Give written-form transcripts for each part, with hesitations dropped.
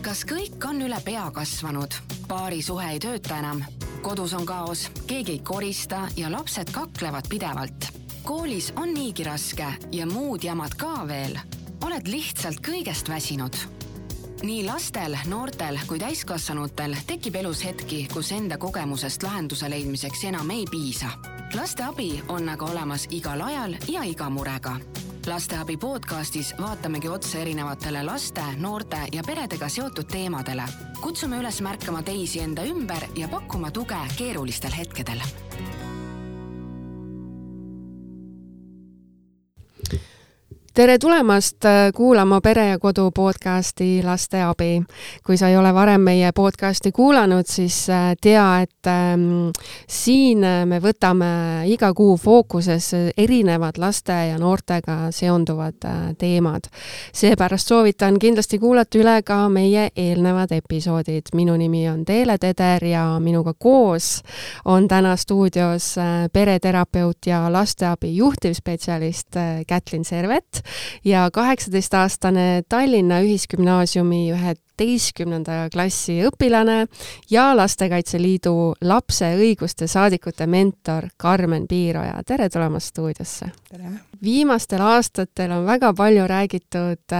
Kas kõik on üle pea kasvanud? Paari suhe ei tööta enam. Kodus on kaos, keegi ei korista ja lapsed kaklevad pidevalt. Koolis on niigi raske ja muud jamad ka veel. Oled lihtsalt kõigest väsinud. Nii lastel, noortel kui täiskasvanutel tekib elus hetki, kus enda kogemusest lahenduse leidmiseks enam ei piisa. Laste abi on aga olemas igal ajal ja iga murega. Lasteabi podcastis vaatamegi otse erinevatele laste, noorte ja peredega seotud teemadele. Kutsume üles märkama teisi enda ümber ja pakkuma tuge keerulistel hetkedel. Tere tulemast kuulama Pere ja Kodu podcasti Lasteabi. Kui sa ei ole varem meie podcasti kuulanud, siis tea, et siin me võtame iga kuu fookuses erinevad laste ja noortega seonduvad teemad. Seepärast soovitan kindlasti kuulata üle ka meie eelnevad episoodid. Minu nimi on Teele Teder ja minuga koos on täna stuudios pereterapeut ja lasteabi juhtivspetsialist Kätlin Servet ja 18-aastane Tallinna Ühisgümnaasiumi 11. klassi õpilane ja Lastekaitse Liidu lapse õiguste saadikute mentor Karmen Piiroja. Tere tulemast stuudiosse. Tere. Viimastel aastatel on väga palju räägitud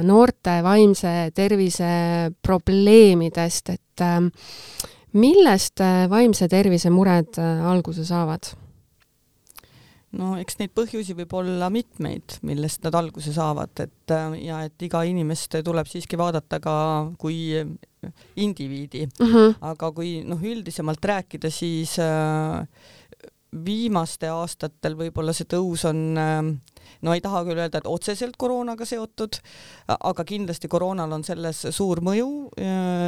noorte vaimse tervise probleemidest, et millest vaimse tervise mured alguse saavad? No eks neid põhjusi võib olla mitmeid, millest nad alguse saavad, et iga inimest tuleb siiski vaadata ka kui indiviidi. Aga kui üldisemalt rääkida, siis viimaste aastatel võib-olla see tõus on, ei taha küll öelda, et otseselt koroonaga seotud, aga kindlasti koroonal on selles suur mõju,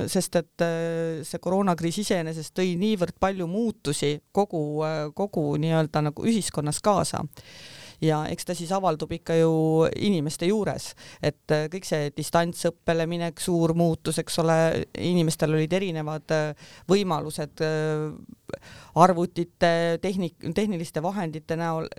sest et see koroonakriis iseenesest tõi niivõrd palju muutusi kogu nii-öelda nagu ühiskonnas kaasa. Ja eks ta siis avaldub ikka ju inimeste juures, et kõik see distantsõppele minek, suur muutus, eks ole, inimestel olid erinevad võimalused arvutite, tehniliste vahendite näol,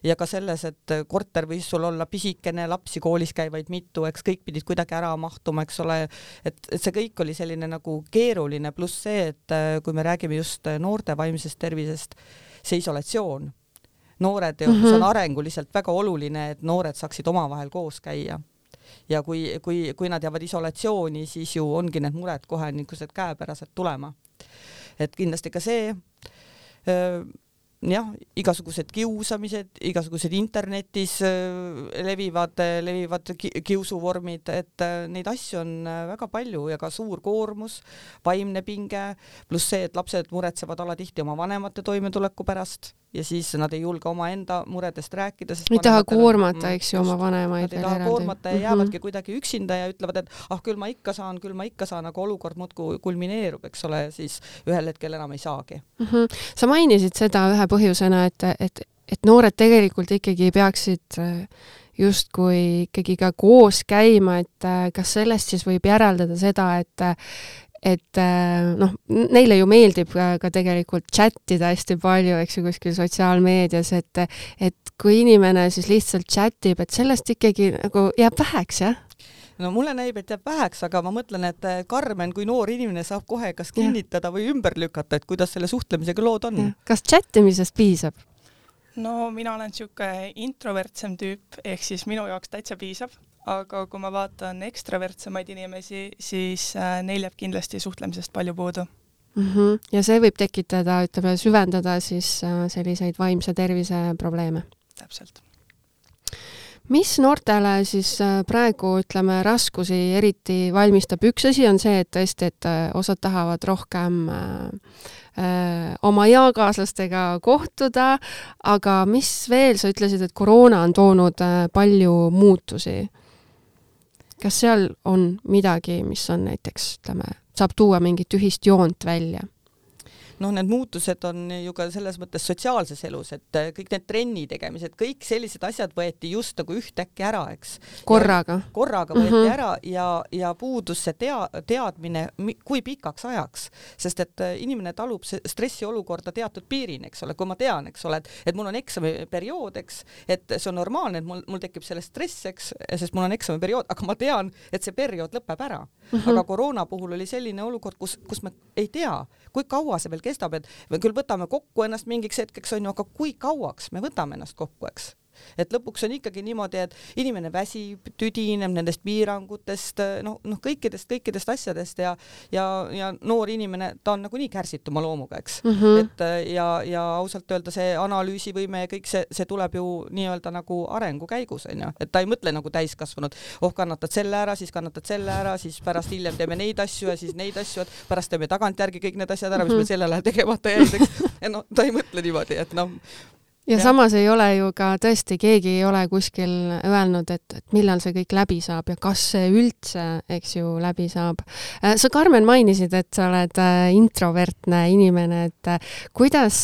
ja ka selles, et korter võis sul olla pisikene, lapsi koolis käivaid mitu, eks kõik pidid kuidagi ära mahtuma, eks ole, et see kõik oli selline nagu keeruline, pluss see, et kui me räägime just noorte vaimsest tervisest, see isolatsioon. Noored on arenguliselt väga oluline, et noored saaksid omavahel koos käia. Ja kui nad jäävad isolatsiooni, siis ju ongi need mured kohe niisugused käepärased tulema. Et kindlasti ka see, igasugused kiusamised, igasugused internetis levivad kiusuvormid, et neid asju on väga palju ja ka suur koormus, vaimne pinge, pluss see, et lapsed muretsevad alatihti oma vanemate toimetuleku pärast ja siis nad ei julge oma enda muredest rääkida. Ei taha koormata, eks ju, oma vanemaid. Nad ei taha koormata ja jäävadki kuidagi üksinda ja ütlevad, et küll ma ikka saan, aga olukord muudkui kulmineerub, eks ole, siis ühel hetkel enam ei saagi. Sa mainisid seda ühe põhjusena, et noored tegelikult ikkagi peaksid justkui ikkagi ka koos käima, et kas sellest siis võib järeldada seda, et neile ju meeldib ka tegelikult chattida hästi palju, eks ju, kuskil sotsiaalmeedias, et kui inimene siis lihtsalt chattib, et sellest ikkagi nagu jääb väheks, jah? No mulle näib, et jääb väheks, aga ma mõtlen, et Karmen kui noor inimene saab kohe kas kinnitada või ümber lükata, et kuidas selle suhtlemisega lood on. Kas chattimisest piisab? No mina olen siuke introvertsem tüüp, ehk siis minu jaoks täitsa piisab, aga kui ma vaatan ekstravertsemaid inimesi, siis neil jääb kindlasti suhtlemisest palju puudu. Ja see võib tekitada, süvendada siis selliseid vaimse tervise probleeme. Täpselt. Mis noortele siis praegu, raskusi eriti valmistab? Üks asi on see, et tõesti, et osad tahavad rohkem oma eakaaslastega kohtuda, aga mis veel, sa ütlesid, et koroona on toonud palju muutusi. Kas seal on midagi, mis on näiteks, saab tuua mingit ühist joont välja? need muutused on ju ka selles mõttes sotsiaalses elus, et kõik need trenni tegemised, kõik sellised asjad võeti just nagu ühtäkki ära, eks. Korraga võeti ära ja puudus see teadmine, kui pikaks ajaks, sest et inimene talub stressiolukorda teatud piirini, eks ole, kui ma tean, eks ole, et mul on eksamiperiood, eks, et see on normaalne, et mul tekib selle stress, eks, sest mul on eksamiperiood, aga ma tean, et see periood lõpeb ära. Aga koroona puhul oli selline olukord, kus me ei tea, kui kaua see veel kestab, et me küll võtame kokku ennast mingiks hetkeks, on ju, aga kui kauaks me võtame ennast kokku, eks? Et lõpuks on ikkagi niimoodi, et inimene väsib, tüdineb nendest piirangutest, kõikidest asjadest ja noor inimene, ta on nagunii kärsituma loomuga, eks. Et ja ausalt öelda see analüüsivõime ja kõik see tuleb ju nii-öelda nagu arengu käigus, on ju. Et ta ei mõtle nagu täiskasvanud, kannatad selle ära, siis pärast hiljem teeme neid asju ja siis neid asju, et pärast teeme tagantjärgi kõik need asjad ära, mis meil sellel ajal tegemata jäid, eks. Ja ta ei mõtle niimoodi, et ja samas ei ole ju ka tõesti, keegi ei ole kuskil öelnud, et millal see kõik läbi saab ja kas see üldse, eks ju, läbi saab. Sa, Karmen, mainisid, et sa oled introvertne inimene, et kuidas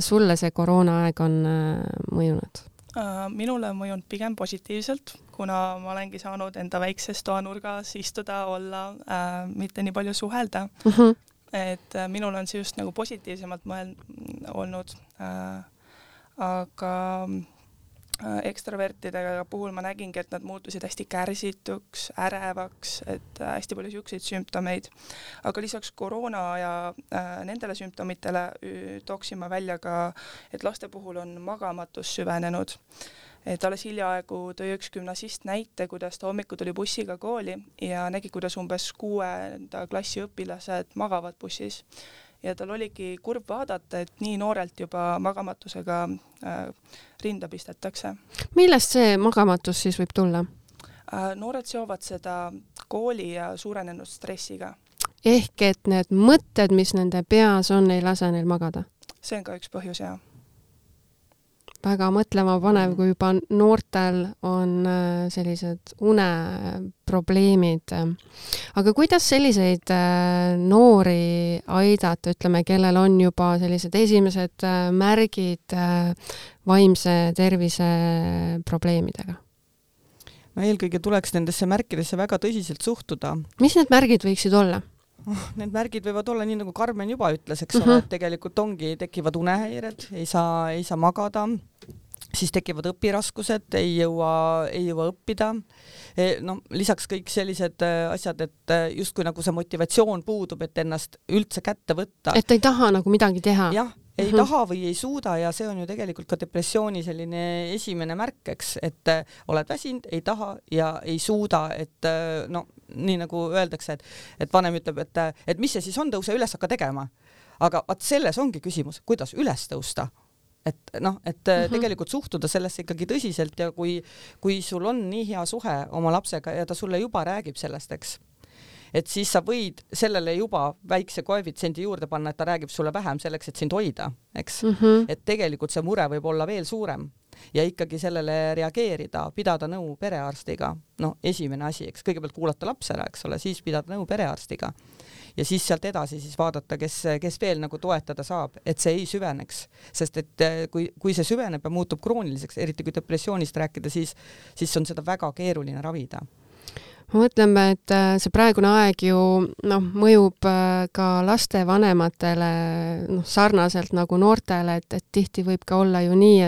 sulle see koroonaaeg on mõjunud? Minule on mõjunud pigem positiivselt, kuna ma olengi saanud enda väikses toanurgas istuda, olla, mitte nii palju suhelda. Et minul on see just nagu positiivsemalt olnud. Aga ekstravertidega puhul ma nägingi, et nad muutusid hästi kärsituks, ärevaks, et hästi palju siukseid sümptomeid. Aga lisaks koroona ja nendele sümptomitele tooksin ma välja ka, et laste puhul on magamatus süvenenud. Et alles hiljaaegu tõi üks gümnasist näite, kuidas ta hommiku tuli bussiga kooli ja nägi, kuidas umbes 6. klassi õpilased magavad bussis. Ja tal oligi kurb vaadata, et nii noorelt juba magamatusega rinda pistetakse. Millest see magamatus siis võib tulla? Noored seovad seda kooli ja suurenenud stressiga. Ehk et need mõtted, mis nende peas on, ei lase neil magada? See on ka üks põhjus, jah. Väga mõtlema panev, kui juba noortel on sellised uneprobleemid. Aga kuidas selliseid noori aidata, ütleme, kellel on juba sellised esimesed märgid vaimse tervise probleemidega? No eelkõige tuleks nendesse märkidesse väga tõsiselt suhtuda. Mis need märgid võiksid olla? Need märgid võivad olla nii, nagu Karmen juba ütles, eks ole, et tegelikult tekivad unehäired, ei saa magada, siis tekivad õpiraskused, ei jõua õppida. Lisaks kõik sellised asjad, et justkui nagu see motivatsioon puudub, et ennast üldse kätte võtta. Et ei taha nagu midagi teha. Jah, ei taha või ei suuda ja see on ju tegelikult ka depressiooni selline esimene märk, eks, et oled väsinud, ei taha ja ei suuda, et nii nagu öeldakse, et vanem ütleb, et mis see siis on, tõuse üles, hakka tegema. Aga selles ongi küsimus, kuidas üles tõusta. Et tegelikult suhtuda sellesse ikkagi tõsiselt ja kui sul on nii hea suhe oma lapsega ja ta sulle juba räägib sellest, eks, et siis sa võid sellele juba väikse koefitsiendi juurde panna, et ta räägib sulle vähem selleks, et sind hoida, eks. Et tegelikult see mure võib olla veel suurem ja ikkagi sellele reageerida, pidada nõu perearstiga. Esimene asi, eks, kõigepealt kuulata laps ära, eks ole, siis pidada nõu perearstiga ja siis sealt edasi siis vaadata, kes veel nagu toetada saab, et see ei süveneks, sest et kui see süveneb ja muutub krooniliseks, eriti kui depressioonist rääkida, siis on seda väga keeruline ravida. Ma mõtlen, et see praegune aeg ju mõjub ka laste vanematele sarnaselt nagu noortele, et tihti võib ka olla ju nii,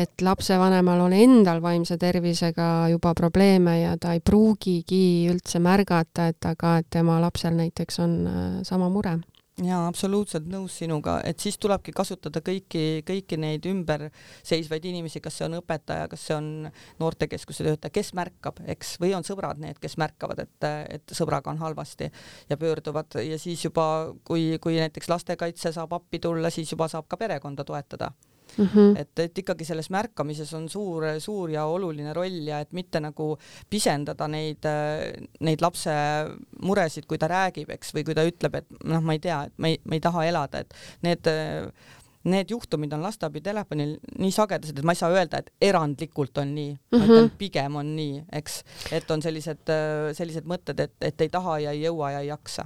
et lapsevanemal on endal vaimse tervisega juba probleeme ja ta ei pruugigi üldse märgata, et tema lapsel näiteks on sama mure. Jaa, absoluutselt nõus sinuga, et siis tulebki kasutada kõiki neid ümber seisvaid inimesi, kas see on õpetaja, kas see on noortekeskuse töötaja, kes märkab, eks, või on sõbrad need, kes märkavad, et sõbraga on halvasti ja pöörduvad ja siis juba, kui näiteks lastekaitse saab appi tulla, siis juba saab ka perekonda toetada. Et ikkagi selles märkamises on suur ja oluline roll ja et mitte nagu pisendada neid lapse muresid, kui ta räägib, eks, või kui ta ütleb, et ma ei tea, et ma ei taha elada, et need juhtumid on lasteabi telefonil nii sagedased, et ma ei saa öelda, et erandlikult on nii, ma ütlen, pigem on nii, eks, et on sellised mõtted, et ei taha ja ei jõua ja ei jaksa.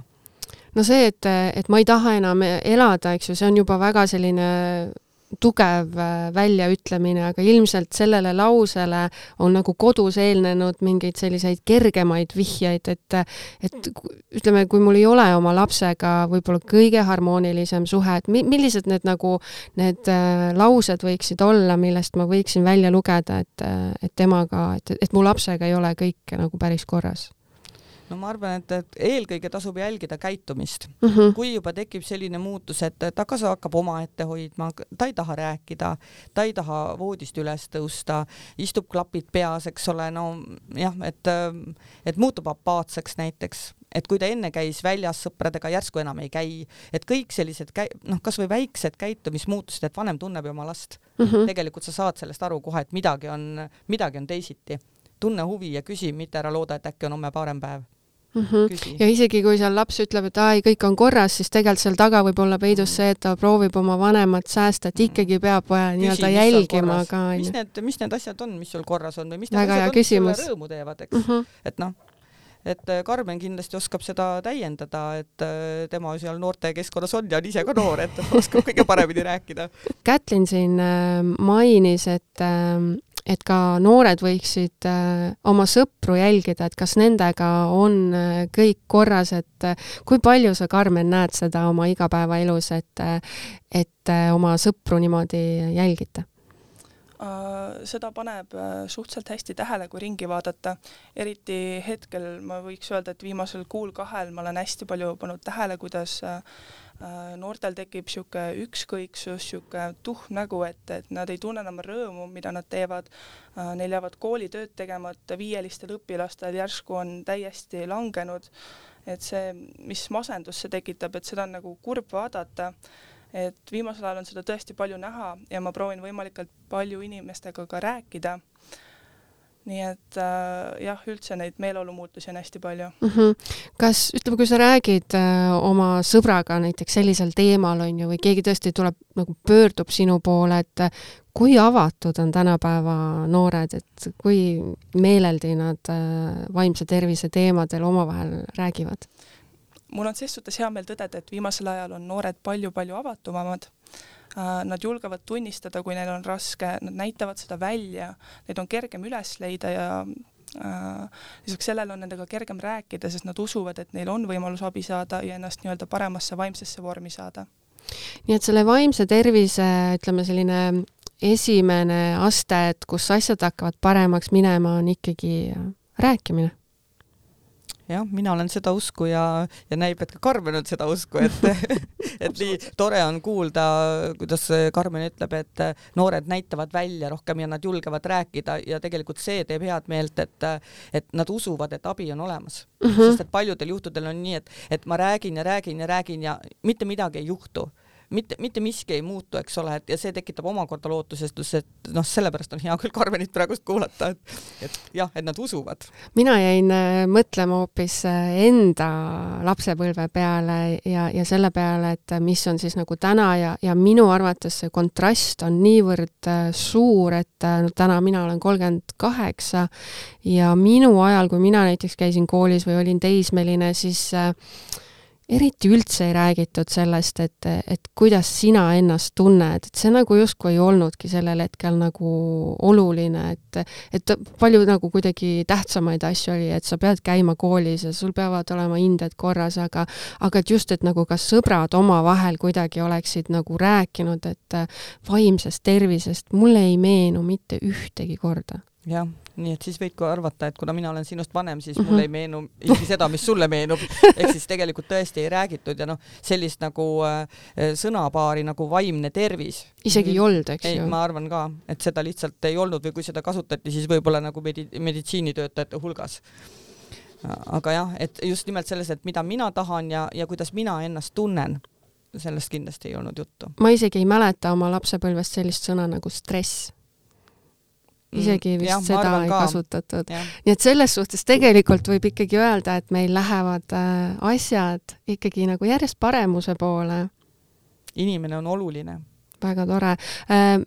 no see, et ma ei taha enam elada, eks ju, see on juba väga selline tugev väljaütlemine, aga ilmselt sellele lausele on nagu kodus eelnenud mingeid selliseid kergemaid vihjeid, et ütleme, kui mul ei ole oma lapsega võib-olla kõige harmoonilisem suhe, et millised need nagu need laused võiksid olla, millest ma võiksin välja lugeda, et temaga, et mu lapsega ei ole kõik nagu päris korras? No ma arvan, et eelkõige tasub jälgida käitumist. Kui juba tekib selline muutus, et ta kas hakkab oma ette hoidma, ta ei taha rääkida, ta ei taha voodist üles tõusta, istub klapid peas, eks ole, no jah, et muutub apaatseks näiteks, et kui ta enne käis väljas sõpradega, järsku enam ei käi, et kõik sellised, kas või väiksed käitumismuutused, et vanem tunneb oma last. Tegelikult sa saad sellest aru kohe, et midagi on teisiti. Tunne huvi ja küsi, mitte ära looda, et äkki on homme parem päev. Ja isegi kui seal laps ütleb, et kõik on korras, siis tegelikult seal taga võib olla peidus see, et ta proovib oma vanemat säästa, et ikkagi peab nii-öelda jälgima ka. Mis need asjad on, mis sul korras on või mis need asjad on, mis sulle rõõmu teevad, eks? Et Karmen kindlasti oskab seda täiendada, et tema seal noorte keskkonnas on ja on ise ka noor, et oskab kõige paremini rääkida. Kätlin siin mainis, et ka noored võiksid oma sõpru jälgida, et kas nendega on kõik korras, et kui palju sa, Karmen, näed seda oma igapäevaelus, et oma sõpru niimoodi jälgite? Seda paneb suhteliselt hästi tähele, kui ringi vaadata. Eriti hetkel ma võiks öelda, et viimasel kuul 2 ma olen hästi palju pannud tähele, kuidas noortel tekib siuke ükskõiksus, siuke tuhm nägu, et nad ei tunne enam rõõmu, mida nad teevad. Neil jäävad koolitööd tegema, et 5-listel õpilastel järsku on täiesti langenud. Et see, mis masendus see tekitab, et seda on nagu kurb vaadata. Et viimasel ajal on seda tõesti palju näha ja ma proovin võimalikult palju inimestega ka rääkida. Nii et jah, üldse neid meeleolumuutusi on hästi palju. Kas, ütleme, kui sa räägid oma sõbraga näiteks sellisel teemal on ju, või keegi tõesti tuleb, nagu pöördub sinu poole, et kui avatud on tänapäeva noored, et kui meeleldi nad vaimse tervise teemadel omavahel räägivad? Mul on ses suhtes hea meel tõdeda, et viimasel ajal on noored palju-palju avatumamad. Nad julgevad tunnistada, kui neil on raske, nad näitavad seda välja, neid on kergem üles leida ja lisaks sellele on nendega kergem rääkida, sest nad usuvad, et neil on võimalus abi saada ja ennast nii-öelda paremasse vaimsesse vormi saada. Nii et selle vaimse tervise, ütleme selline esimene aste, et kus asjad hakkavad paremaks minema, on ikkagi rääkimine. Jah, mina olen seda usku ja näib, et ka Karmen on seda usku, et nii tore on kuulda, kuidas Karmen ütleb, et noored näitavad välja rohkem ja nad julgevad rääkida ja tegelikult see teeb head meelt, et nad usuvad, et abi on olemas. Sest et paljudel juhtudel on nii, et ma räägin ja mitte midagi ei juhtu. Mitte miski ei muutu, eks ole, ja see tekitab omakorda lootusestus, et sellepärast on hea küll Karmenit praegust kuulata, et jah, et nad usuvad. Mina jäin mõtlema hoopis enda lapsepõlve peale ja selle peale, et mis on siis nagu täna ja minu arvates see kontrast on niivõrd suur, et täna mina olen 38 ja minu ajal, kui mina näiteks käisin koolis või olin teismeline, siis eriti üldse ei räägitud sellest, et kuidas sina ennast tunned, et see nagu justkui ei olnudki sellel hetkel nagu oluline, et palju nagu kuidagi tähtsamaid asju oli, et sa pead käima koolis ja sul peavad olema hinded korras, aga et just, et nagu kas sõbrad omavahel kuidagi oleksid nagu rääkinud, et vaimsest tervisest mulle ei meenu mitte ühtegi korda. Jah, nii et siis võidku arvata, et kuna mina olen sinust vanem, siis mulle ei meenu isegi seda, mis sulle meenub. Ehk siis tegelikult tõesti ei räägitud ja sellist nagu sõnapaari nagu vaimne tervis. Isegi ei olnud, eks ju? Ma arvan ka, et seda lihtsalt ei olnud või kui seda kasutati, siis võib-olla nagu meditsiinitöötajate hulgas. Aga jah, et just nimelt selles, et mida mina tahan ja kuidas mina ennast tunnen, sellest kindlasti ei olnud juttu. Ma isegi ei mäleta oma lapsepõlvest sellist sõna nagu stress. Isegi vist seda ei kasutatud. Nii et selles suhtes tegelikult võib ikkagi öelda, et meil lähevad asjad ikkagi nagu järjest paremuse poole. Inimene on oluline. väga tore.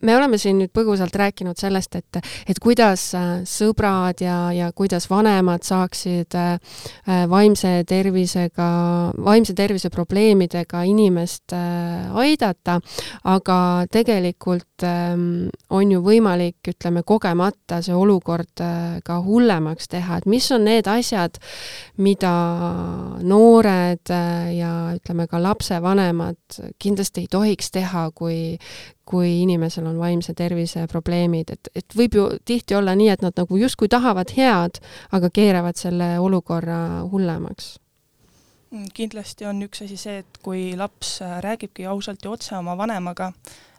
Me oleme siin nüüd põgusalt rääkinud sellest, et kuidas sõbrad ja kuidas vanemad saaksid vaimse tervise probleemidega inimest aidata, aga tegelikult on ju võimalik, ütleme, kogemata see olukord ka hullemaks teha, et mis on need asjad, mida noored ja ütleme ka lapsevanemad kindlasti ei tohiks teha, kui inimesel on vaimse tervise probleemid, et võib ju tihti olla nii, et nad nagu justkui tahavad head, aga keeravad selle olukorra hullemaks. Kindlasti on üks asi see, et kui laps räägibki ausalt ja otse oma vanemaga,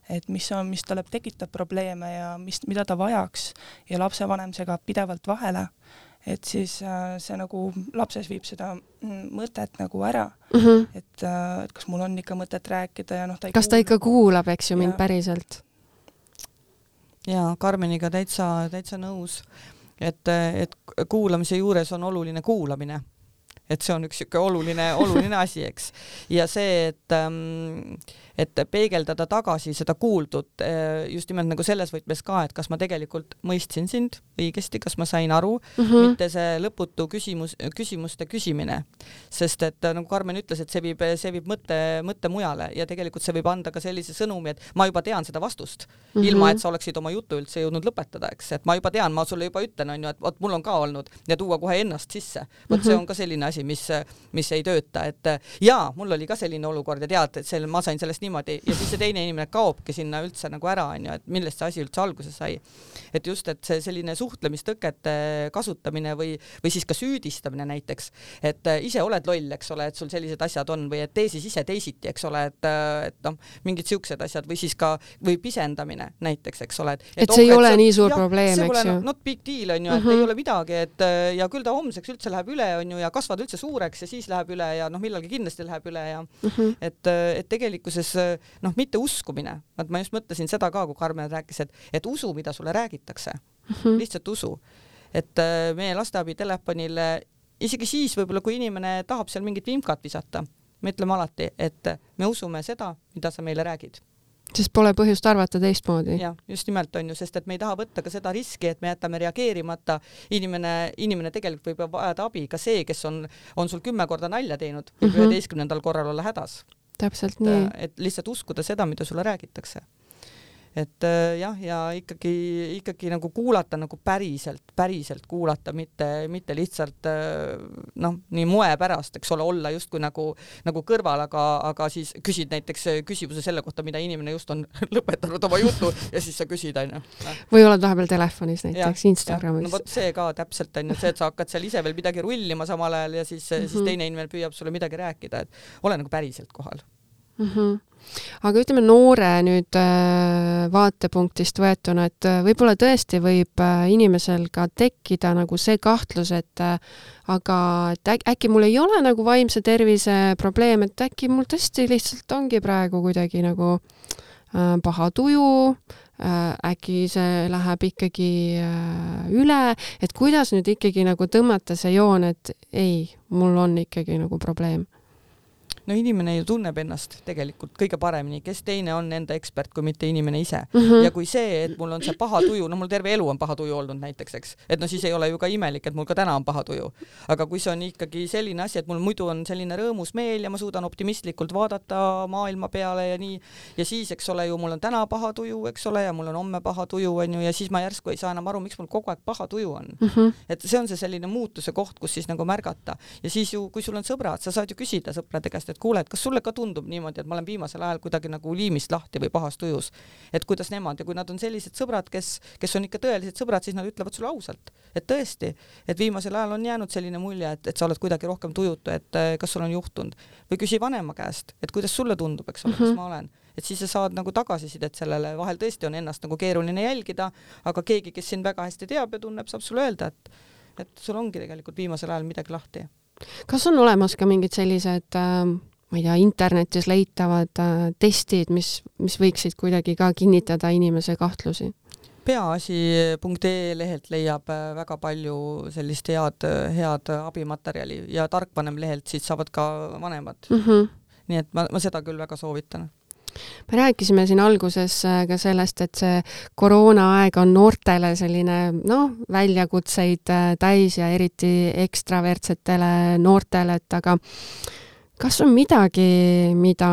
et mis talle tekitab probleeme ja mida ta vajaks ja lapsevanem segab pidevalt vahele, et siis see nagu lapses viib seda mõtet nagu ära, et kas mul on ikka mõtet rääkida ja kas ta ikka kuulab, eks ju, mind päriselt? Jaa, Karmeniga täitsa nõus, et kuulamise juures on oluline kuulamine. Et see on üks oluline asi, eks. Ja see, et peegeldada tagasi seda kuuldud just nimelt nagu selles võtmes ka, et kas ma tegelikult mõistsin sind õigesti, kas ma sain aru, mitte see lõputu küsimuste küsimine. Sest et nagu Karmen ütles, et see viib mõtte mujale ja tegelikult see võib anda ka sellise sõnumi, et ma juba tean seda vastust, ilma et sa oleksid oma jutu üldse jõudnud lõpetada, eks. Et ma juba tean, ma sulle juba ütlen, on ju, et mul on ka olnud ja tuua kohe ennast sisse. See on ka selline asi, mis ei tööta, et jaa, mul oli ka selline olukord ja tead, et ma sain sellest niimoodi ja siis see teine inimene kaobki sinna üldse nagu ära, on ju, et millest see asi üldse alguse sai. Et just, et see selline suhtlemistõkete kasutamine või siis ka süüdistamine näiteks, et ise oled loll, eks ole, et sul sellised asjad on või et tee siis ise teisiti, eks ole, et mingid siuksed asjad või siis ka või pisendamine näiteks, eks ole. Et see ei ole nii suur probleem, eks ju. Not big deal, on ju, et ei ole midagi, et ja küll ta homseks üldse läheb üle, on ju, ja kasvad üldse suureks ja siis läheb üle ja millalgi kindlasti läheb üle ja et tegelikkuses mitte uskumine. Ma just mõtlesin seda ka, kui Karmen rääkis, et usu, mida sulle räägitakse. Lihtsalt usu. Et meie lasteabi telefonil isegi siis võib-olla, kui inimene tahab seal mingit vimkat visata, me ütleme alati, et me usume seda, mida sa meile räägid. Sest pole põhjust arvata teistmoodi. Ja, just nimelt on ju, sest et me ei taha võtta ka seda riski, et me jätame reageerimata. Inimene tegelikult võib vajada abi, ka see, kes on sul 10 korda nalja teinud, võib 11. korral olla hädas. Täpselt nii. Et lihtsalt uskuda seda, mida sulle räägitakse. Et jah, ja ikkagi nagu kuulata nagu päriselt kuulata, mitte lihtsalt nii moe pärast, eks ole, olla justkui nagu kõrval, aga siis küsid näiteks küsimuse selle kohta, mida inimene just on lõpetanud oma jutu ja siis sa küsid, on ju. Või oled vahepeal telefonis näiteks, Instagramis. No vot see ka täpselt on ju, see, et sa hakkad seal ise veel midagi rullima samal ajal ja siis teine inimene püüab sulle midagi rääkida, et ole nagu päriselt kohal. Aga ütleme noore nüüd vaatepunktist võetuna, et võib-olla tõesti võib inimesel ka tekkida nagu see kahtlus, et aga äkki mul ei ole nagu vaimse tervise probleem, et äkki mul tõesti lihtsalt ongi praegu kuidagi nagu paha tuju, äkki see läheb ikkagi üle, et kuidas nüüd ikkagi nagu tõmmata see joon, et ei, mul on ikkagi nagu probleem. No inimene ju tunneb ennast tegelikult kõige paremini, kes teine on enda ekspert, kui mitte inimene ise. Ja kui see, et mul on see paha tuju, mul terve elu on paha tuju olnud näiteks, eks, et siis ei ole ju ka imelik, et mul ka täna on paha tuju. Aga kui see on ikkagi selline asi, et mul muidu on selline rõõmus meel ja ma suudan optimistlikult vaadata maailma peale ja nii, ja siis, eks ole ju, mul on täna paha tuju, eks ole, ja mul on homme paha tuju, on ju, ja siis ma järsku ei saa enam aru, miks mul kogu aeg paha tuju on. Et see on see selline muutuse koht, kus siis nagu märgata. Ja siis ju, kui sul on sõbrad, sa saad ju küsida sõprade käest, et kuule, et kas sulle ka tundub niimoodi, et ma olen viimasel ajal kuidagi nagu liimist lahti või pahas tujus, et kuidas nemad ja kui nad on sellised sõbrad, kes on ikka tõelised sõbrad, siis nad ütlevad sulle ausalt, et tõesti, et viimasel ajal on jäänud selline mulje, et sa oled kuidagi rohkem tujutu, et kas sul on juhtunud või küsi vanema käest, et kuidas sulle tundub, eks ole, kas ma olen, et siis sa saad nagu tagasisidet sellele, vahel tõesti on ennast nagu keeruline jälgida, aga keegi, kes sind väga hästi teab ja tunneb, saab sulle öelda, et sul ongi tegelikult viimasel ajal midagi lahti. Kas on olemas ka mingid sellised ma ei tea, internetis leitavad testid, mis võiksid kuidagi ka kinnitada inimese kahtlusi? Peaasi.ee lehelt leiab väga palju sellist head abimaterjali ja tarkvanem lehelt siis saavad ka vanemad. Nii et ma seda küll väga soovitan. Me rääkisime siin alguses ka sellest, et see koroonaaeg on noortele selline väljakutseid täis ja eriti ekstravertsetele noortele, et aga kas on midagi, mida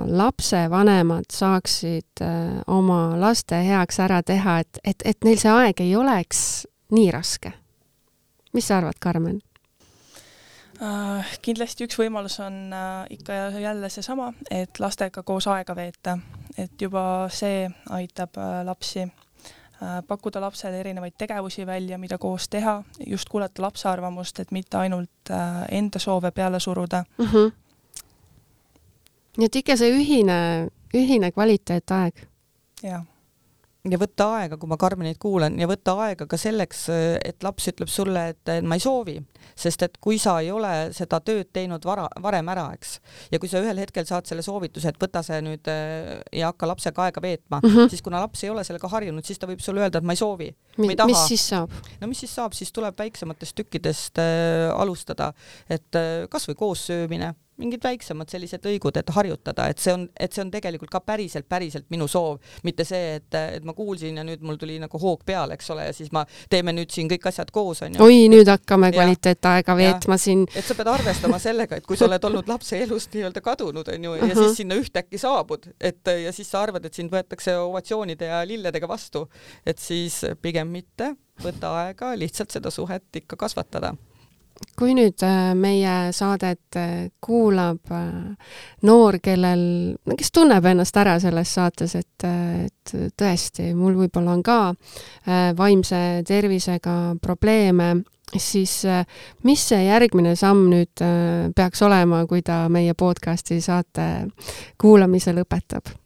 lapsevanemad saaksid oma laste heaks ära teha, et neil see aeg ei oleks nii raske? Mis sa arvad, Karmen? Kindlasti üks võimalus on ikka jälle seesama, et lastega koos aega veeta, et juba see aitab lapsi pakkuda lapsele erinevaid tegevusi välja, mida koos teha, just kuulata lapse arvamust, et mitte ainult enda soove peale suruda. Nii et ikka see ühine kvaliteetaeg. Jah. Ja võtta aega, kui ma Karmenit kuulan, ja võtta aega ka selleks, et laps ütleb sulle, et ma ei soovi, sest et kui sa ei ole seda tööd teinud varem ära, eks, ja kui sa ühel hetkel saad selle soovituse, et võta see nüüd ja hakka lapsega aega veetma, siis kuna laps ei ole sellega harjunud, siis ta võib sulle öelda, et ma ei soovi. Mis siis saab? No mis siis saab, siis tuleb väiksematest tükkidest alustada, et kas või koos söömine, mingid väiksemad sellised lõigud, et harjutada, et see on tegelikult ka päriselt minu soov, mitte see, et ma kuulsin ja nüüd mul tuli nagu hoog peale, eks ole, ja siis teeme nüüd siin kõik asjad koos, on ju. Oi, nüüd hakkame kvaliteetaega veetma siin. Et sa pead arvestama sellega, et kui sa oled olnud lapse elust nii-öelda kadunud, on ju, ja siis sinna ühtäkki saabud, ja siis sa arvad, et sind võetakse ovatsioonide ja lilledega vastu, et siis pigem mitte võtta aega lihtsalt seda suhet ikka kasvatada. Kui nüüd meie saadet kuulab noor, kes tunneb ennast ära selles saates, et tõesti, mul võib-olla on ka vaimse tervisega probleeme, siis mis see järgmine samm nüüd peaks olema, kui ta meie podcasti saate kuulamise lõpetab?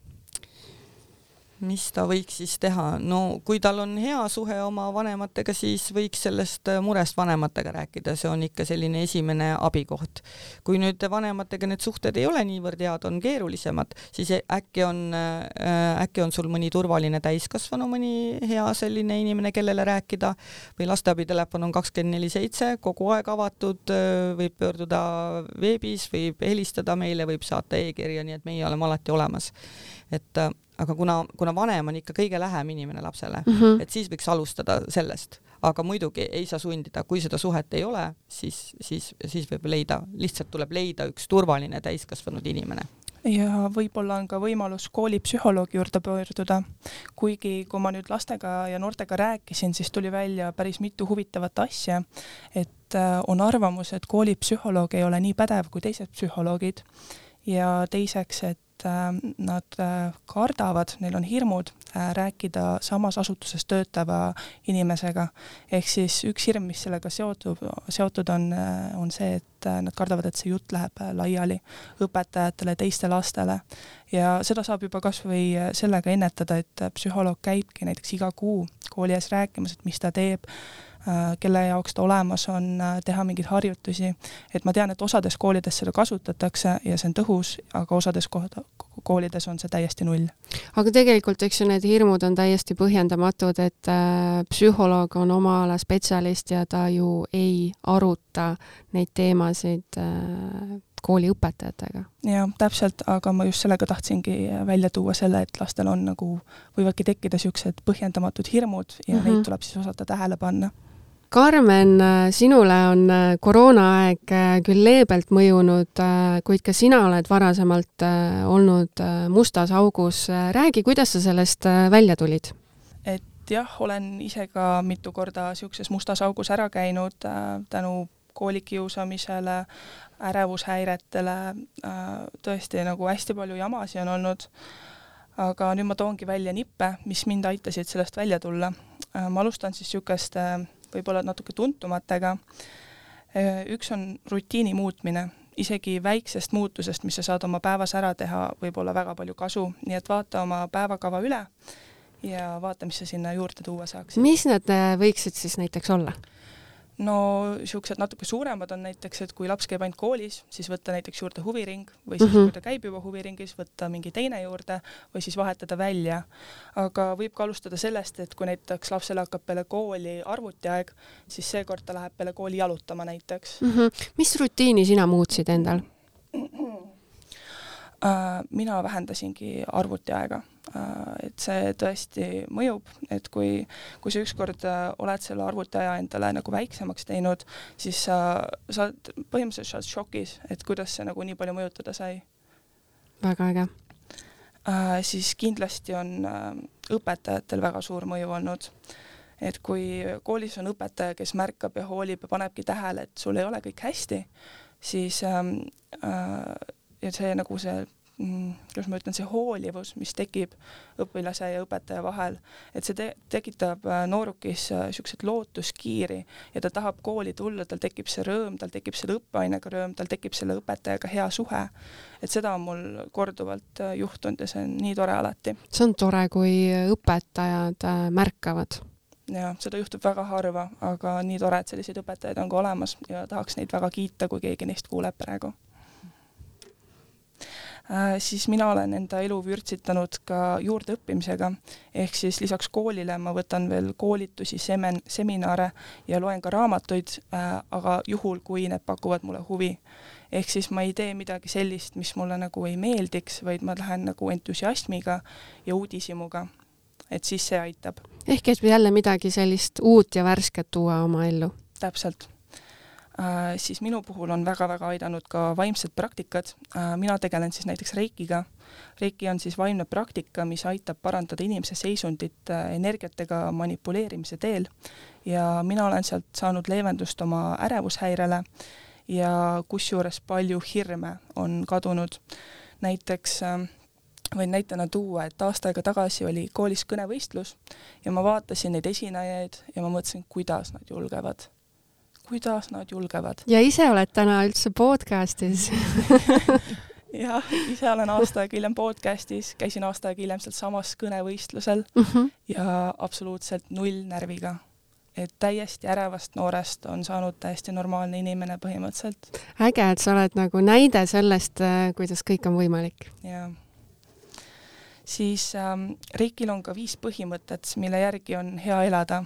Mis ta võiks siis teha? No kui tal on hea suhe oma vanematega, siis võiks sellest murest vanematega rääkida, see on ikka selline esimene abikoht. Kui nüüd vanematega need suhted ei ole niivõrd head, on keerulisemad, siis äkki on sul mõni turvaline täiskasvanu, mõni hea selline inimene, kellele rääkida, või lasteabitelefon on 24/7, kogu aeg avatud, võib pöörduda veebis, võib helistada meile, võib saata e-kirja, nii et meie oleme alati olemas. Aga kuna vanem on ikka kõige lähem inimene lapsele, et siis võiks alustada sellest, aga muidugi ei saa sundida, kui seda suhet ei ole, siis võib lihtsalt tuleb leida üks turvaline täiskasvanud inimene. Ja võib-olla on ka võimalus koolipsühholoogi juurde pöörduda. Kuigi kui ma nüüd lastega ja noortega rääkisin, siis tuli välja päris mitu huvitavat asja, et on arvamus, et koolipsühholoog ei ole nii pädev kui teised psühholoogid ja teiseks, et nad kardavad, neil on hirmud rääkida samas asutuses töötava inimesega. Ehk siis üks hirm, mis sellega seotud on see, et nad kardavad, et see jutt läheb laiali õpetajatele, teiste lastele. Ja seda saab juba kas või sellega ennetada, et psühholoog käibki näiteks iga kuu kooli ees rääkimas, et mis ta teeb, kelle jaoks ta olemas on, teha mingeid harjutusi. Et ma tean, et osades koolides seda kasutatakse ja see on tõhus, aga osades koolides on see täiesti null. Aga tegelikult, eks ju, need hirmud on täiesti põhjendamatud, et psühholoog on oma ala spetsialist ja ta ju ei aruta neid teemasid kooli õpetajatega. Ja, täpselt, aga ma just sellega tahtsingi välja tuua selle, et lastel on võivadki tekkida siuksed põhjendamatud hirmud ja neid tuleb siis osata tähele panna. Karmen, sinule on koroonaaeg küll leebelt mõjunud, kuid ka sina oled varasemalt olnud mustas augus. Räägi, kuidas sa sellest välja tulid? Et jah, olen ise ka mitu korda siukses mustas augus ära käinud tänu koolikiusamisele, ärevushäiretele, tõesti hästi palju jamasi on olnud. Aga nüüd ma toongi välja nippe, mis mind aitasid sellest välja tulla. Ma alustan siis siukest võib-olla natuke tuntumatega. Üks on rutiini muutmine. Isegi väiksest muutusest, mis sa saad oma päevas ära teha, võib olla väga palju kasu. Nii et vaata oma päevakava üle ja vaata, mis sa sinna juurde tuua saaks. Mis need võiksid siis näiteks olla? No siuksed natuke suuremad on näiteks, et kui laps käib ainult koolis, siis võtta näiteks juurde huviring või siis kui ta käib juba huviringis, võtta mingi teine juurde või siis vahetada välja. Aga võib ka alustada sellest, et kui näiteks lapsele hakkab peale kooli arvutiaeg, siis seekord ta läheb peale kooli jalutama näiteks. Mis rutiini sina muutsid endal? Mina vähendasingi arvutiaega, et see tõesti mõjub, et kui sa ükskord oled selle arvutiaja endale nagu väiksemaks teinud, siis sa põhimõtteliselt šokis, et kuidas see nagu nii palju mõjutada sai. Väga äge. Siis kindlasti on õpetajatel väga suur mõju olnud. Et kui koolis on õpetaja, kes märkab ja hoolib ja panebki tähele, et sul ei ole kõik hästi, siis ja see nagu see, kuidas ma ütlen, see hoolivus, mis tekib õpilase ja õpetaja vahel, et see tekitab noorukis siuksed lootuskiiri ja ta tahab kooli tulla, tal tekib see rõõm, tal tekib selle õppeainega rõõm, tal tekib selle õpetajaga hea suhe. Et seda on mul korduvalt juhtunud ja see on nii tore alati. See on tore, kui õpetajad märkavad. Ja seda juhtub väga harva, aga nii tore, et selliseid õpetajaid on ka olemas ja tahaks neid väga kiita, kui keegi neist kuuleb praegu. Siis mina olen enda elu vürtsitanud ka juurdeõppimisega, ehk siis lisaks koolile ma võtan veel koolitusi, seminare ja loen ka raamatuid, aga juhul, kui need pakuvad mulle huvi. Ehk siis ma ei tee midagi sellist, mis mulle nagu ei meeldiks, vaid ma lähen nagu entusiasmiga ja uudishimuga, et siis see aitab. Ehk et jälle midagi sellist uut ja värsket tuua oma ellu. Täpselt. Siis minu puhul on väga-väga aidanud ka vaimsed praktikad. Mina tegelen siis näiteks reikiga. Reiki on siis vaimne praktika, mis aitab parandada inimese seisundit energiatega manipuleerimise teel. Ja mina olen sealt saanud leevendust oma ärevushäirele ja kusjuures palju hirme on kadunud. Näiteks võin näitena tuua, et aasta aega tagasi oli koolis kõnevõistlus ja ma vaatasin neid esinejaid ja ma mõtlesin, kuidas nad julgevad. Ja ise oled täna üldse podcastis. Jah, ise olen aasta aega hiljem podcastis, käisin aasta aega hiljem sealt samas kõnevõistlusel ja absoluutselt null närviga. Et täiesti ärevast noorest on saanud täiesti normaalne inimene põhimõtteliselt. Äge, et sa oled nagu näide sellest, kuidas kõik on võimalik. Ja. Siis Reikil on ka 5 põhimõtet, mille järgi on hea elada.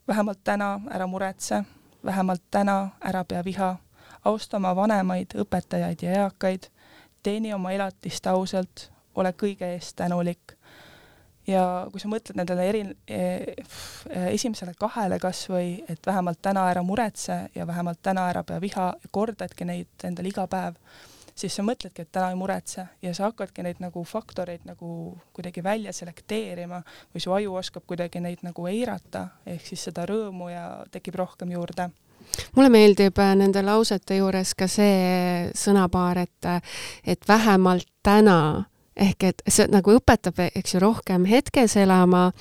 Vähemalt täna ära muretse. Vähemalt täna ära pea viha, austa oma vanemaid, õpetajaid ja eakaid, teeni oma elatist ausalt, ole kõige eest tänulik. Ja kui sa mõtled nendele esimesele 2 kas või, et vähemalt täna ära muretse ja vähemalt täna ära pea viha ja kordadki neid endale iga päev, siis sa mõtledki, et täna ei muretse ja sa hakkadki neid nagu faktoreid nagu kuidagi välja selekteerima või su aju oskab kuidagi neid nagu eirata, ehk siis seda rõõmu ja tekib rohkem juurde. Mulle meeldib nende lausete juures ka see sõnapaar, et vähemalt täna, ehk et see nagu õpetab, eks ju, rohkem hetkes elama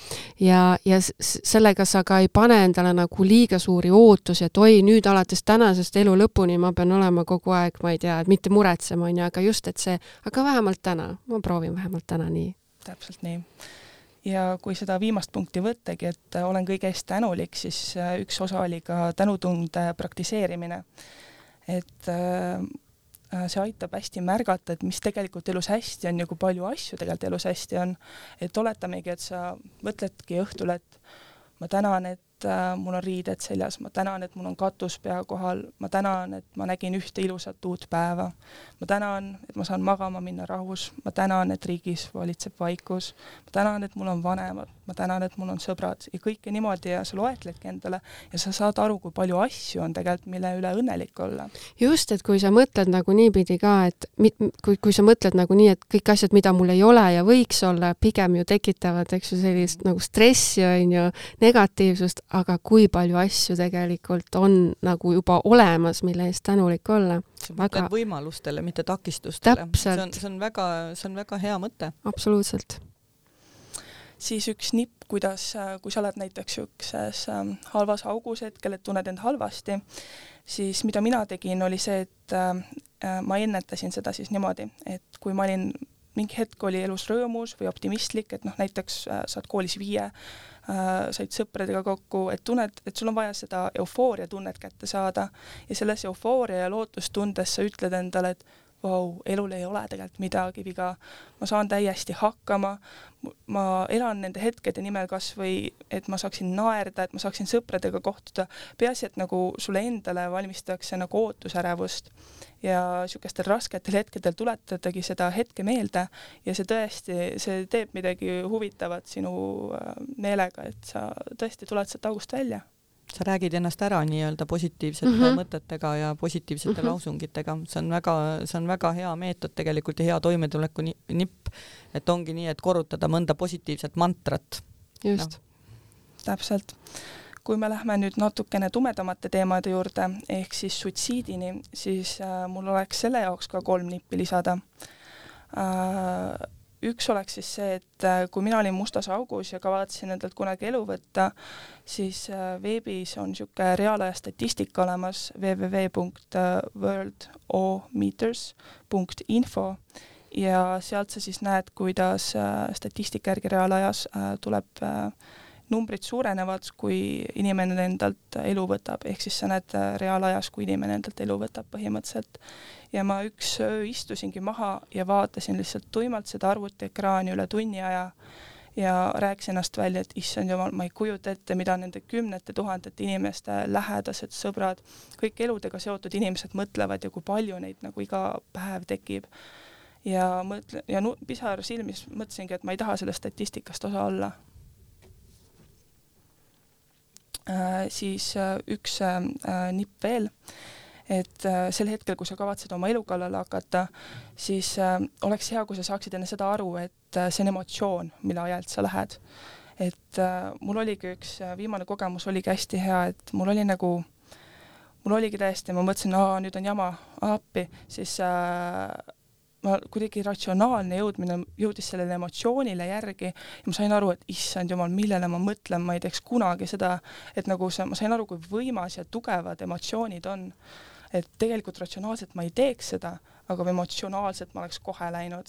ja sellega sa ka ei pane endale nagu liiga suuri ootusi, et oi, nüüd alates tänasest elu lõpuni ma pean olema kogu aeg, ma ei tea, et mitte muretsema, aga just, et see, aga vähemalt täna, ma proovin vähemalt täna nii. Täpselt nii. Ja kui seda viimast punkti võttagi, et olen kõige eest tänulik, siis üks osa oli ka tänutunde praktiseerimine. Et see aitab hästi märgata, et mis tegelikult elus hästi on ja kui palju asju tegelikult elus hästi on. Et oletamegi, et sa mõtledki õhtul, et ma tänan, et mul on riided seljas, ma tänan, et mul on katus pea kohal, ma tänan, et ma nägin ühte ilusat uut päeva, ma tänan, et ma saan magama minna rahus, ma tänan, et riigis valitseb vaikus, ma tänan, et mul on vanemad, ma tänan, et mul on sõbrad ja kõike niimoodi ja sa loetledki endale ja sa saad aru, kui palju asju on tegelikult, mille üle õnnelik olla. Just, et kui sa mõtled nagu niipidi ka, et kui sa mõtled nagu nii, et kõik asjad, mida mul ei ole ja võiks olla, pigem ju tekitavad, eks ju, sellist nagu stressi on ju, negatiivsust, aga kui palju asju tegelikult on nagu juba olemas, mille eest tänulik olla. Sa mõtled võimalustele, mitte takistustele. Täpselt. See on väga hea mõte. Absoluutselt. Siis üks nipp, kuidas, kui sa oled näiteks ükses halvas augus hetkel, et tunned end halvasti, siis mida mina tegin, oli see, et ma ennetasin seda siis niimoodi, et kui ma olin mingi hetk oli elus rõõmus või optimistlik, et näiteks saad koolis 5, said sõpradega kokku, et tunned, et sul on vaja seda eufooria tunnet kätte saada ja selles eufooria ja lootustundes sa ütled endale, et vau, elul ei ole tegelikult midagi viga, ma saan täiesti hakkama, ma elan nende hetkede nimel kas või, et ma saaksin naerda, et ma saaksin sõpradega kohtuda, peaasi, et nagu sulle endale valmistatakse nagu ootusärevust ja niisugustel rasketel hetkedel tuletadagi seda hetke meelde ja see tõesti, see teeb midagi huvitavat sinu meelega, et sa tõesti tuled sealt august välja. Sa räägid ennast ära nii-öelda positiivsete mõtetega ja positiivsete lausungitega. See on väga hea meetod tegelikult ja hea toimetuleku nipp, et ongi nii, et korrutada mõnda positiivset mantrat. Just. No. Täpselt. Kui me lähme nüüd natukene tumedamate teemade juurde, ehk siis suitsiidini, siis mul oleks selle jaoks ka 3 nippi lisada. Üks oleks siis see, et kui mina olin mustas augus ja kavatsin endalt kunagi elu võtta, siis veebis on niisugune reaalaja statistika olemas www.worldometers.info ja sealt sa siis näed, kuidas statistika järgi reaalajas tuleb numbrid suurenevad, kui inimene endalt elu võtab, ehk siis sa näed reaalajas, kui inimene endalt elu võtab põhimõtteliselt. Ja ma üks öö istusingi maha ja vaatasin lihtsalt tuimalt seda arvutiekraani üle tunni aja ja rääkisin ennast välja, et issand jumal, ma ei kujuta ette, mida nende 10 000 inimeste lähedased, sõbrad, kõik eludega seotud inimesed mõtlevad ja kui palju neid nagu iga päev tekib. Ja pisar silmis mõtlesingi, et ma ei taha sellest statistikast osa olla. Siis üks nipp veel, et sel hetkel, kui sa kavatsed oma elu kallale hakata, siis oleks hea, kui sa saaksid enne seda aru, et see on emotsioon, mille ajalt sa lähed. Et mul oligi üks viimane kogemus oligi hästi hea, et mul oligi täiesti, ma mõtlesin, nüüd on jama, appi, siis ma kuidagi ratsionaalne jõudis sellele emotsioonile järgi ja ma sain aru, et issand jumal, millele ma mõtlen, ma ei teeks kunagi seda, et nagu ma sain aru, kui võimas ja tugevad emotsioonid on. Et tegelikult ratsionaalselt ma ei teeks seda, aga emotsionaalselt ma oleks kohe läinud.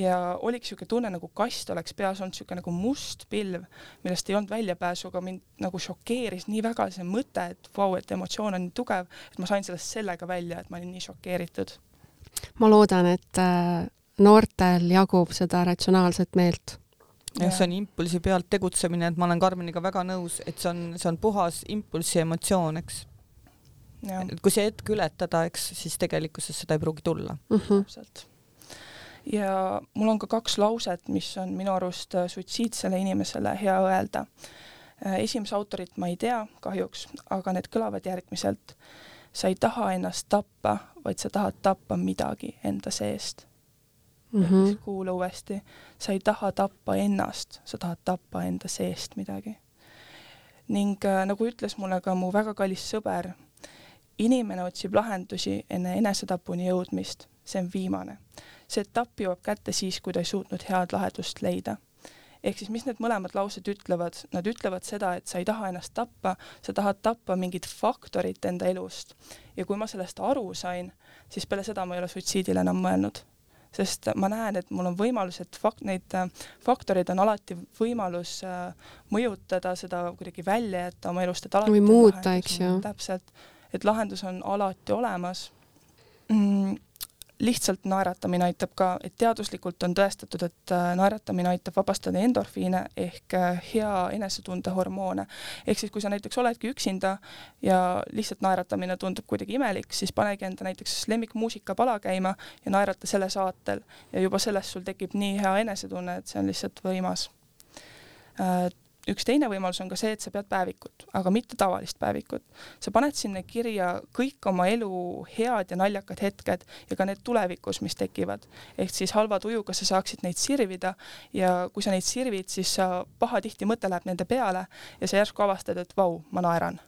Ja oligi niisugune tunne, nagu kast oleks peas olnud niisugune nagu must pilv, millest ei olnud väljapääsu, aga mind nagu šokeeris nii väga see mõte, et vau, et emotsioon on nii tugev, et ma sain sellest sellega välja, et ma olin nii šokeeritud. Ma loodan, et noortel jagub seda ratsionaalset meelt. Ja see on impulsi pealt tegutsemine, et ma olen Karmeniga väga nõus, et see on puhas impulsi emotsioon, eks. Et kui see hetk ületada, eks, siis tegelikkuses seda ei pruugi tulla. Täpselt. Ja mul on ka 2 lauset, mis on minu arust suitsiidsele inimesele hea öelda. Esimese autorit ma ei tea kahjuks, aga need kõlavad järgmiselt. Sa ei taha ennast tappa, vaid sa tahad tappa midagi enda seest. Kuula uuesti. Sa ei taha tappa ennast, sa tahad tappa enda seest midagi. Ning nagu ütles mulle ka mu väga kallis sõber, inimene otsib lahendusi enne enesetapuni jõudmist. See on viimane. See etapp jõuab kätte siis, kui ta ei suutnud head lahendust leida. Ehk siis, mis need mõlemad laused ütlevad? Nad ütlevad seda, et sa ei taha ennast tappa, sa tahad tappa mingit faktorit enda elust. Ja kui ma sellest aru sain, siis peale seda ma ei ole suitsiidile enam mõelnud. Sest ma näen, et mul on võimalus, et neid faktoreid on alati võimalus mõjutada seda kuidagi välja jätta oma elust. Et või muuta, eks ju. Täpselt, et lahendus on alati olemas. Lihtsalt naeratamine aitab ka, et teaduslikult on tõestatud, et naeratamine aitab vabastada endorfiine ehk hea enesetunde hormoone. Ehk siis, kui sa näiteks oledki üksinda ja lihtsalt naeratamine tundub kuidagi imelik, siis panegi enda näiteks lemmikmuusika pala käima ja naerata selle saatel. Ja juba sellest sul tekib nii hea enesetunne, et see on lihtsalt võimas. Üks teine võimalus on ka see, et sa pead päevikut, aga mitte tavalist päevikut. Sa paned sinna kirja kõik oma elu head ja naljakad hetked ja ka need tulevikus, mis tekivad. Ehk siis halva tujuga sa saaksid neid sirvida ja kui sa neid sirvid, siis sa pahatihti mõte läheb nende peale ja sa järsku avastad, et vau, ma naeran.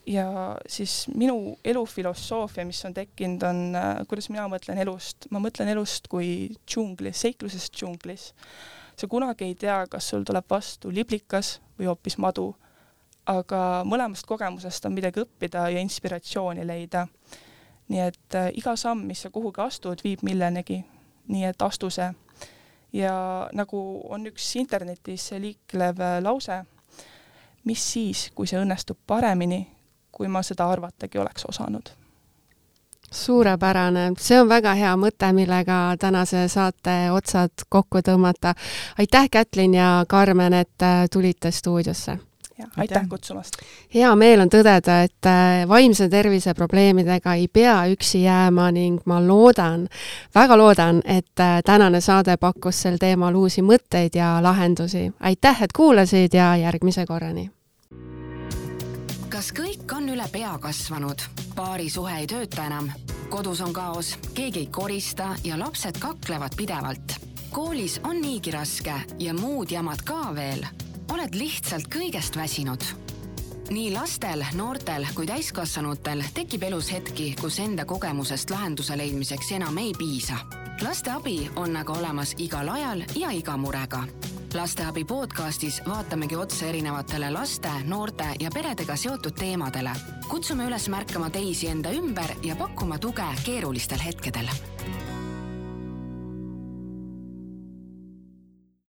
Ja siis minu elufilosoofia, mis on tekkinud, on, kuidas mina mõtlen elust. Ma mõtlen elust kui džunglis, seiklusest džunglis. Sa kunagi ei tea, kas sul tuleb vastu liblikas või hoopis madu, aga mõlemast kogemusest on midagi õppida ja inspiratsiooni leida. Nii et iga samm, mis sa kuhugi astud, viib millenegi. Nii et astu see. Ja nagu on üks internetis liiklev lause, mis siis, kui see õnnestub paremini, kui ma seda arvatagi oleks osanud. Suurepärane, see on väga hea mõte, millega tänase saate otsad kokku tõmmata. Aitäh, Kätlin ja Karmen, et tulite stuudiosse. Aitäh kutsumast. Hea meel on tõdeda, et vaimse tervise probleemidega ei pea üksi jääma ning ma väga loodan, et tänane saade pakkus sel teemal uusi mõtteid ja lahendusi. Aitäh, et kuulasid ja järgmise korrani. Kas kõik on üle pea kasvanud? Paari suhe ei tööta enam. Kodus on kaos, keegi ei korista ja lapsed kaklevad pidevalt. Koolis on niigi raske ja muud jamad ka veel. Oled lihtsalt kõigest väsinud. Nii lastel, noortel kui täiskasvanutel tekib elus hetki, kus enda kogemusest lahenduse leidmiseks enam ei piisa. Laste abi on aga olemas igal ajal ja iga murega. Lasteabi podcastis vaatamegi otse erinevatele laste, noorte ja peredega seotud teemadele. Kutsume üles märkama teisi enda ümber ja pakkuma tuge keerulistel hetkedel.